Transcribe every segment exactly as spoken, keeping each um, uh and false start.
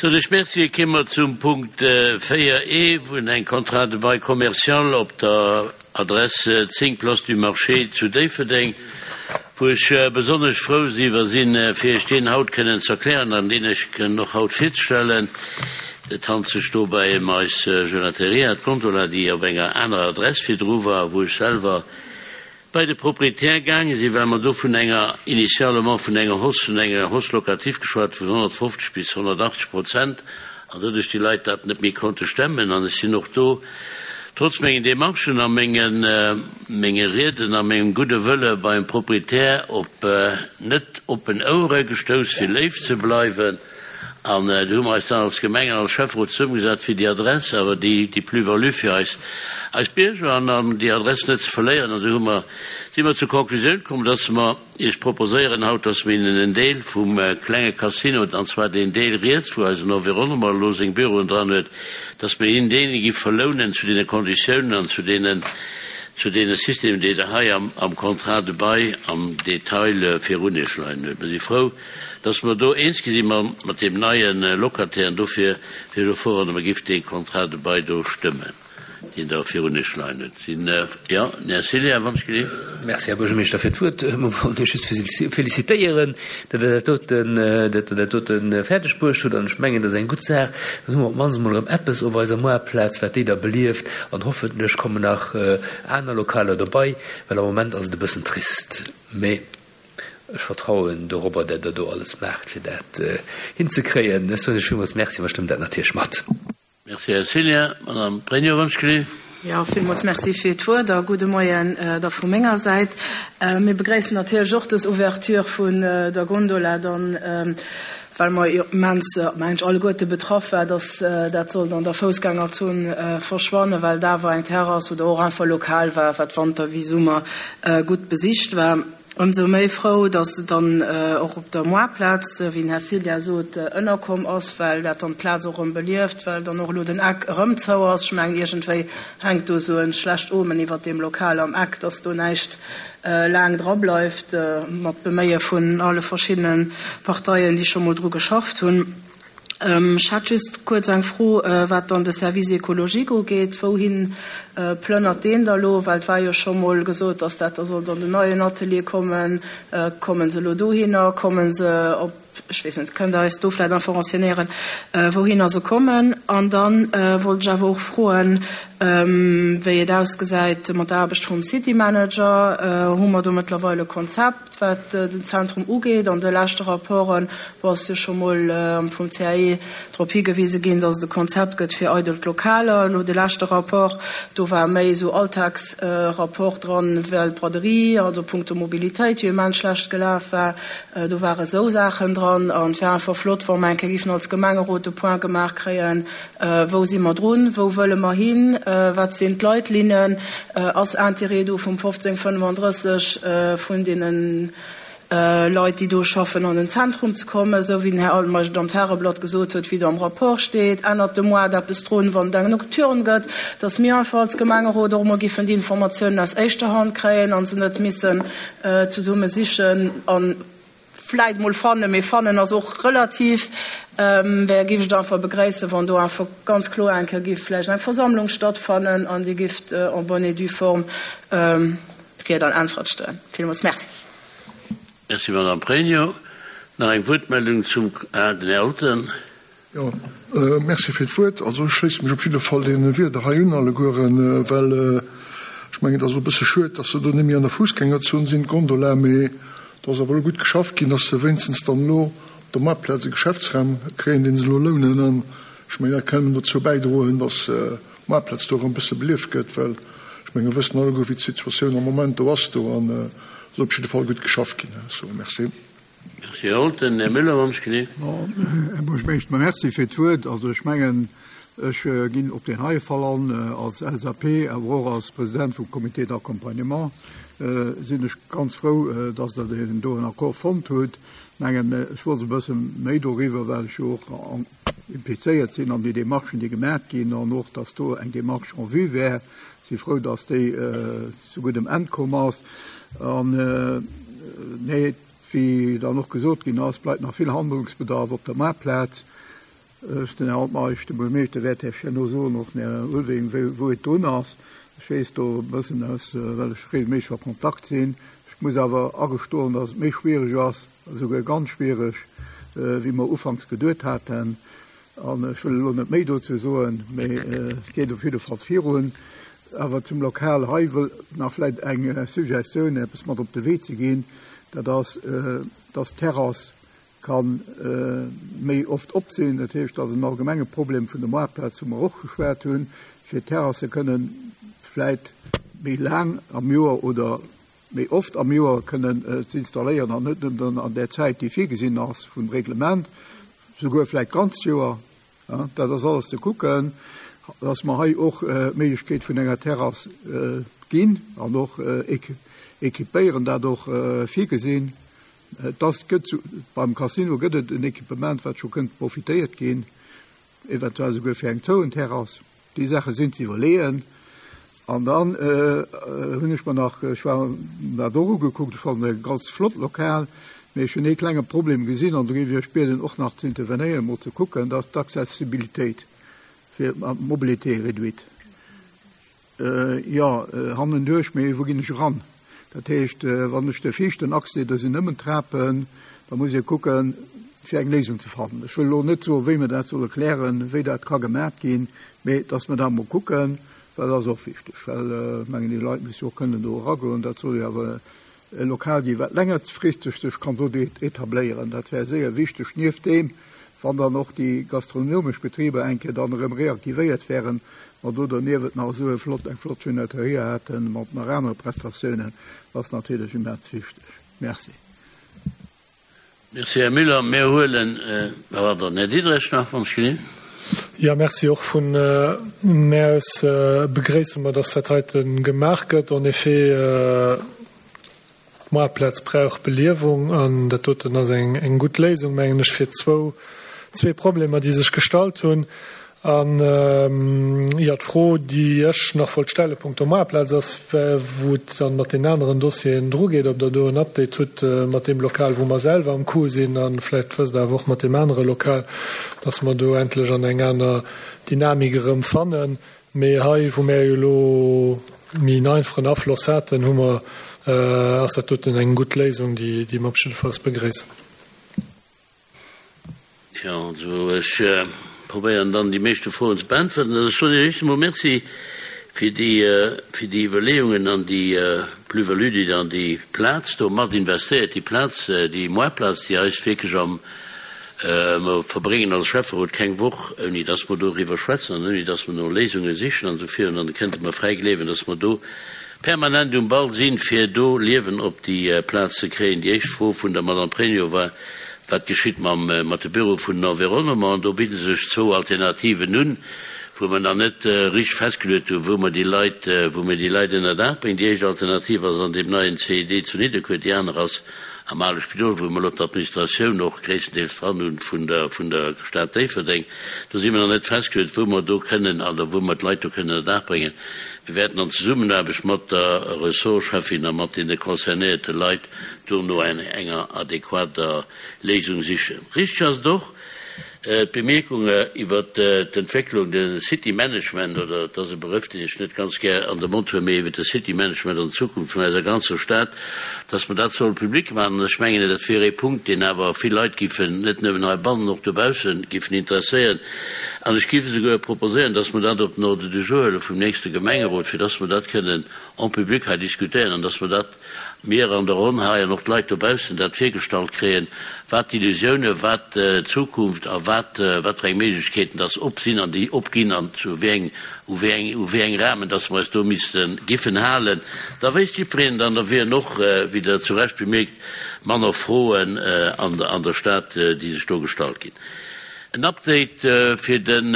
Soen ech Merci. Kéime mer zum Punkt véier E, wou eng Contrat de bail commercial op der Adress zéng Place du Marché zu Déifferdeng, wou ech besonnesch frou iwwer sinn, fir Iech deen haut kënnen ze erklären an deen ech kënnen och haut virzestellen. Et handelt sech dobäi ëm eis Gelateria d'Gondola, déi op enger anerer Adress virdru war, wou ech selwer bei de Proprietär gaange sinn, well mer do vun enger, initialement vun enger Hausse, vun enger Hausse locative geschwat vun honnertfofzeg bis honnertachtzeg Prozent, an doduerch déi Leit dat net méi konnte stemmen. An ech sinn och do, trotz mengen Demarchen a mengen, menge Rieden a mengem gudde Wëlle beim Proprietär op net oppen Ouere gestouss, fir léif ze bleiwen. An do hu mer eis dann als Gemeng an als Schäfferot zesummegesat, fir déi Adress, awer déi, déi Plus-value fir eis, eis Bierger an, an déi Adress net ze verléieren. An do hu mer, si mer zur Konklusioun komm, dass mer Iech proposéieren haut, dass mer hinnen en Deel vum klenge Casino, an zwar deen Deel riets, wou eisen Environnement elo seng Büroen dran huet, dass mer hinnen deen gi verlounen zu deene Konditiounen an zu deenen, zu deene Systemen, déi Der hei am, am Contrat de bail am Detail virun Iech leien huet. Mer si frou, dass mer do eens gi si mat deem neie Locataire, an dofir wier ech och frou, wann Der mer gift dee Contrat de bail do stëmmen, deen Der virun Iech leien hutt. Sinn, jo, den Här Cillien, wann ech gelift. Merci, Här Buergermeeschter, fir d'Wuert. Mer wollen Iech just félicitéieren, datt Der dat doten, datt Der dat dote fäerdeg bruecht hutt. An ech mengen, dat ass eng gutt Saach. Dann hu mer op d'mannst emol erëm eppes op eiser Moartplaz, wat déi da belieft. An hoffentlech kommen nach aner Lokaler dobei, well am Moment ass et e bëssen trist. Mee ech vertrauen dorobber, dat Der do alles maacht, fir dat hinzekréien. Ech soen Iech villmools Merci, mer stëmmen dat natierlech mat. Merci, Här Cillien. Madame Pregno, wann ech gelift. Jo, villmools Merci fir d'Wuert a gudde Moien da vu menger Säit. Mir begréissen natierlech och dës Ouverture vun der Gondola dann, well mer jo immens, mengen ech, alleguerte betraff war, dass dat sollt an der Foussgängerzon verschwannen, well et awer eng Terrass oder och einfach Lokal war, wat Wanter wéi Summer gutt besicht war. Ëmsou méi frou, dass et dann och op der Moartplaz, wéi den Här Cillien sot, ënnerkomm ass, well dat dann d'Plaz och erëm belieft, well dann och elo den Eck erëm zou ass. Ech mengen, iergendwéi hänkt do esou e schlecht Omen iwwert deem Lokal am Eck, dass do näischt laang dra bleift, mat Beméie vun alle verschiddene Parteien, déi scho mol dru geschafft hunn. Ech hätt just kuerz eng Fro, wat dann de Service écologique ugeet. Wouhin plënnert deen da lo? Well et war jo scho mol gesot, dass dat da sollt an den neien Atelier kommen. Kommen se elo dohinner? Kommen se op, ech weess net, kënnt Der eis do vläicht einfach renseignéieren, wouhinner se kommen? An da wollt ech awer och froen, wéi et ausgesäit mat der Aarbecht vum City Manager. Hu mer do mëttlerweil e Konzept, wat den Zentrum ugeet? An de leschte Rapporten, wou ass jo scho mol vum C A E drop higewise ginn, dass et e Konzept gëtt fir eidelt Lokaler. Elo de leschte Rapport, do war méi esou Alltagsrapport dran, well d'Braderie, also punkto Mobilitéit, jo immens schlecht gelaf war. Do ware sou Saachen dran. An et wär einfach flott, wa mer eng Kéier giffen als Gemengerot de Point gemaach kréien, wou si mer drun, wou wëlle mer hin, wat sinn d'Leitlinnen, ass Interêt do vum fofzéng fënnefandrësseg vun deenen Leit, déi do schaffen, an den Zentrum ze kommen, esou wéi den Här Altmeisch et am Tageblatt gesot huet, wéi et am Rapport steet, ännert de Moart eppes drun, wann et eng Nocturne gëtt, dass mir einfach als Gemengerot och emol giffen déi Informatiounen aus éischter Hand kréien a se net missen zesumme sichen a vläit mol fannen, mee fannen ass och relativ, wär giff ech et einfach begréissen, wann do einfach ganz kloer eng Kéier giff vläicht eng Versammlung stattfannen an Dir gifft en bonne et due forme Ried an Äntwert stoen. Villmools Merci. Merci, Madame Pregno. Nach eng Wuertmeldung zum, ah, den Här Olten. Jo, merci fir d'Wuert. Also ech schléisse mech op jidde Fall deene Wierder hei un allegueren, well ech mengen, et ass och e bësse schued, dass se do net méi an der Fussgängerzon sinn, d'Gondola, mee do ass awer elo gutt geschafft ginn, dass se wéinstens dann elo op der Maartplaz e Geschäftsraum kréien, dee se elo lounen. An ech mengen, dat kann dozou bäidroen, dass d'Maartplaz do erëm e bësse belieft gëtt, well ech mengen, mir wëssen alleguer, wéi d'Situatioun am Moment do ass do. An et ass op jidde Fall gutt geschafft ginn. Ech soe Merci. Merci, Här Olten. Här Müller, wann ech gelift. Här Buergermeeschter, merci fir d'Wuert. Also ech mengen, ech ginn op deen heie Fall an als L S A P, awer och als President vum Comité d'accompagnement sinn ech ganz frou, dass Der deen do en Accord fonnt hutt. Mengen, ech wosst e bësse méi doriwwer, well ech jo och implizéiert sinn an déi Démarchen, déi gemaach ginn, an och, dass do eng Démarche en vue wär. Si frou, dass déi zu guddem Enn komm ass. An nee, wéi dann och gesot ginn ass, bleift nach vill Handlungsbedarf op der Maartplaz. Den Här Altmeisch, de Buergermeeschter, wäert Iech herno soen, och den Här Ulveling, wou et drun ass. Ech weess do e bëssen aus, well ech regelméisseg a Kontakt sinn. Ech muss awer agestoen, dass et méi schwierig ass, esouguer ganz schwierig, wéi mer ufanks geduet haten. An ech wëll elo net méi dozou soen, mee et geet op jidde Fall virun. Awer zum Lokal hei wëll nach vläicht eng Suggestioun, eppes mat op de Wee ze ginn, dat ass, dass d'Terrass ka méi oft op sinn. Dat heescht, dat ass en allgemenge Problem vun der Moartplaz, wou mer och geschwat hunn, fir d'Terrasse kënnen vläicht méi laang am Joer oder méi oft am Joer kënnen ze installéieren an net nëmmen an där Zäit, déi virgesinn ass vum Reglement, souguer vläicht d'ganzt Joer. Dat ass alles ze kucken, dass mer hei och d'Méiglechkeet vun enger Terrass ginn an och équipéieren, dat och virgesinn. Das gëtt zu, beim Casino gëtt et en Equipement, wat scho kënnt profitéiert ginn, eventuell souguer fir eng zouen Terrass. Déi Saache sinn ze iwwerleeën. An dann hunn ech mer nach, ech war dat och ugekuckt, ech fannen e ganz flott Lokal, mee ech hunn ee klenge Problem gesinn an do géif ech iech bieden och nach ze intervenéieren, mol ze kucken, dat ass d'Accessibilitéit fir d'Mobilité réduite. Jo, hannenduerch, mee wou ginn ech eran? Dat heescht, wann ech de viischten Accès, do sinn nëmmen Trapen, da muss ee kucken, fir eng Léisung ze fannen. Ech wëll elo net soen, wéi mer dat solle klären, wéi dat ka gemaat ginn, mee dass mer da mol kucken, well dat ass och wichteg, well ech mengen, déi Leit musse jo och kënnen do eragoen. Dat soll jo awer e Lokal ginn, wat längerfristeg sech kann do etabléieren. Dat wär séier wichteg, nieft deem, wann dann och déi gastronomesch Betriber eng Kéier dann erëm reaktivéiert wären, mer do doniewent nach esou e flott, eng flott Genetterie haten mat nach anere Prestatiounen, ass natierlech immens wichteg. Merci. Merci, Här Müller. Mir huelen, pardon, Här Diderich nach, wann ech gelinn. Ja, merci. Och vun mär aus begréisse mer, dass dat heite gemaach gëtt. En effet, d'Moartplaz brauch Beliewung an dat doten ass eng, eng gutt Léisung, mengen ech, fir zwou, zwee Problemer, déi sech gestallt hunn. An jo, d'Fro, déi ech nach wollt stelle punkto Moartplaz ass, wou et dann mat den aneren Dossieren drugeet, ob Der do en Update hutt mat deem Lokal, wou mer selwer am Coup sinn, a vläicht wësst Der awer och mat deem anere Lokal, dass mer do endlech an eng aner Dynamik erëm fannen. Mee hei, wou mär jo elo méi en einfachen Afloss haten, hu mer, ass dat doten eng gutt Léisung, déi, déi mer op jiddefalls begréissen. Jo, also ech probéieren dann déi meeschte Froen ze beäntwerten. Also ech soen Iech éischt emol Merci fir déi, fir déi Iwwerleeungen an déi Plus-value, déi Der an déi Plaz do mat investéiert, déi Plaz, déi Moartplaz, déi eis wierklech am, mer verbréngen als Schäfferot keng Woch, ouni dass mer doriwwer schwätzen an ouni dass mer no Léisunge sichen an esou virun. An da kënnt Der mer fräi gleewen, dass mer do permanent um Ball sinn, fir do Liewen op déi Plaz ze kréien. Déi éischt Fro vun der Madame Pregno war, Wat geschitt mam, mat de Büro vun den Environnement? An do bidde sech zwou Alternativen un, wou mer nach net richteg festgeluet hunn, wou mer déi Leit, wou mer déi Leit ënner Daach bréngen. Déi éischt Alternativ ass an deem neien C I D zu Nidderkuer, déi aner ass am ale Spidol, wou mer elo d'Administratioun och gréisstendeels dran hunn vun der, vun der Stad Déifferdeng. Do si mer nach net festgeluet, wou mer do kënnen, oder wou mer d'Leit do kënnen ënner Daach bréngen. Mir wäerten an Zesummenaarbecht mat der Ressortcheffin a mat deene concernéierte Leit do no enger adequater Léisung sichen. Richteg ass et och, d'Bemierkung iwwert d'Entwécklung, de City Management, oder et ass e Begrëff, deen ech net ganz gär an de Mond huelen, mee iwwert de City Management an d'Zukunft vun eiser ganzer Stad, dass mer dat solle public maachen. An ech mengen, dat wier ee Punkt, deen awer vill Leit giffen, net nëmmen heibannen, och dobaussen, giffen interesséieren. An ech géif esouguer proposéieren, dass mer dat op den Ordre du jour huele vum nächste Gemengerot, fir dass mer dat kënnen en public hei diskutéieren an dass mer dat, mir an der Ronn hei an och d'Leit dobaussen, dat virgestallt kréien, wat d'Illusiounen, wat d'Zukunft a wat, wat fir eng Méiglechkeeten dass op sinn an déi opginn an zu wéi eng, u wéi eng, u wéi eng Rahmen dass mer eis do misste giffen halen. Da wéisst jiddwereen dann, da wieren och, wéi Der zu Recht bemierkt, manner Froen an der, an der Stad, déi sech do gestallt ginn. En Update fir den,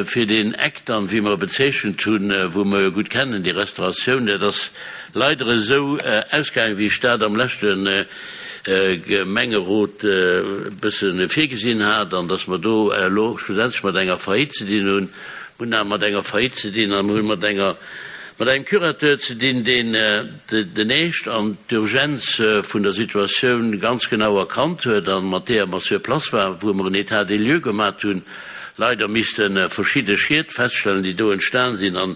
fir deen Eck dann, wéi mer e bezeechent hunn, wou mer jo gutt kennen, déi Restauratioun, dat ass leider esou ausgaangen, wéi ech dat am leschte Gemengerot e bësse virgesinn hat, an dass mer do elo schlussendlech mat enger Faillite ze dinn hunn. Mir hunn awer mat enger Faillite ze dinn a mir hunn mat enger, mat engem Curateur ze dinn, deen den Eescht an d'Urgenz vun der Situatioun ganz genau erkannt huet a mat deeër mer sur place waren, wou mer en État des lieux gemat hunn, leider misste verschidde Schied feststellen, déi do entstan sinn, an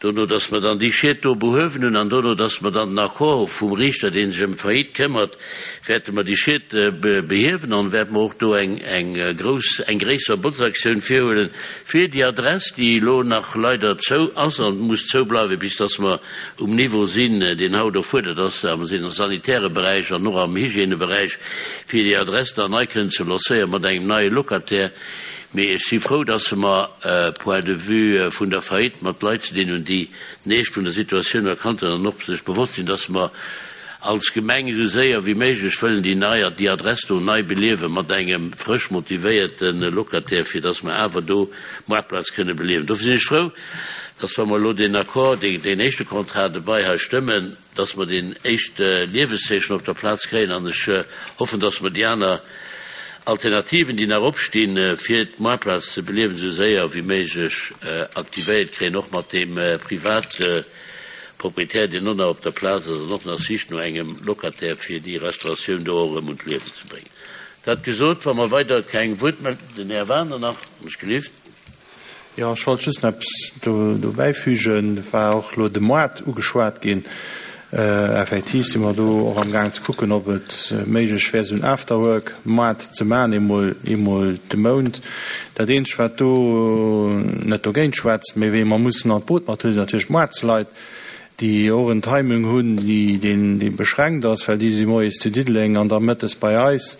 dono, dass mer dann déi Schied do behuewen hunn an dono, dass mer dann den Accord vum Riichter, dee sech ëm d'Faillite këmmert, wäerte mer déi Schied behiewen an wäerte mer och do eng eng grouss, eng gréisser Botzaktioun virhuelen, fir déi Adress, déi elo nach leider zou ass an muss zou bleiwen, bis dass mer um Niveau sinn, deen haut erfuerdert ass am sanitäre Beräich an och am Hygièneberäich, fir déi Adress dann nei kënnen ze lancéieren mat engem neie Locataire. Mee ech si frou, dass mer point de vue vun der Faillite mat Leit ze dinn hunn, déi den Eescht vun der Situatioun erkannt hunn an och sech bewosst sinn, dass mer als Gemeng esou séier wéi méiglech wëllen déi nei, déi Adress do nei beliewe mat engem frësch motivéierte Locataire, fir dass mer awer do d'Moartplaz kënne beliewen. Dofir sinn ech frou, dass, wa mer elo deen Accord, deen éischte Contrat de bail hei stëmmen, dass mer deen éischte Lieweszeechen op der Plaz kréien an ech hoffen, dass mer déi aner Alternativen, déi nach opstinn, fir d'Moartplaz ze beliewen, esou séier wéi méiglech aktivéiert kréien, och mat deem private Proprietär, deen och nach op der Plaz ass an och nach sicht no engem Locataire, fir déi Restauratioun do och erëm un d'Liewen ze bréngen. Dat gesot, wa mer weider keng Wuertmel-, den Här Wagener nach, mech gelift. Jo, ech wollt just nach eppes do bäifügen. Et war och elo de Moart ugeschwat ginn. Effektiv si mer do och amgaang ze kucken, ob et méiglech wär, esou en Afterwork-Moart ze maachen, eemol, eemol de Mount. Dat Eenzegt, wat do net dogéint schwätzt, mee wee mer mussen an d'Boot mat huelen, sinn natierlech d'Moartsleit, déi och en Timing hunn, deen beschränkt ass, well déi si moies zu Diddeleng an da mëttes bei eis,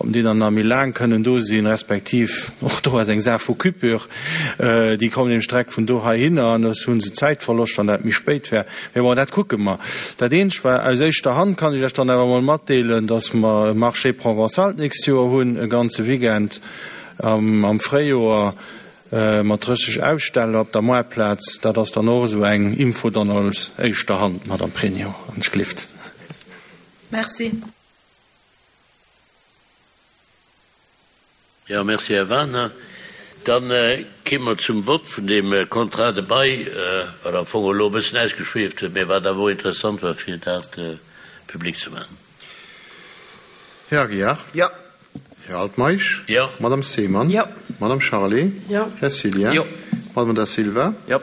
ob déi dann nach méi laang kënnen do sinn, respektiv och do ass eng Saach vu Coupure, déi kommen nämlech direkt vun do heihinner an da hu se Zäitverloscht, wann dat méi spéit wär. Mee bon, dat kucke mer. Dat Eenzegt war, aus éischter Hand kann ech lech dann awer emol matdeelen, dass mer e Marché provençal d'nächst Joer hunn, e ganze Weekend am Fréijoer, Mat drësseg Aussteller op der Moartplaz, dat ass dann och esou eng Info dann aus éischter Hand, Madame Pregno, wann ech glift. Merci. Jo, merci, Här Wagner. Da kéime mer zum Vott vun deem Contrat de bail, wat am Fong elo e bëssen ausgeschwieft huet, mä wat awer och interessant war, fir dat public ze maachen. Här Aguiar. Jo. Här Altmeisch. Jo. Madame Seemann. Jo. Madame Charlé. Jo. Här Cillien. Jo. Madame Da Silva. Jo.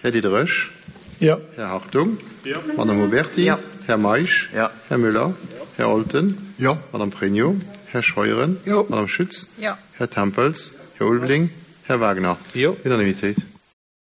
Här Diderich. Jo. Här Hartung. Jo. Madame Oberti. Jo. Här Meisch. Jo. Här Müller. Här Olten. Jo. Madame Pregno. Här Scheuren. Jo. Madame Schütz. Jo. Här Tempels. Här Ulveling. Här Wagner. Jo. Unanimitéit.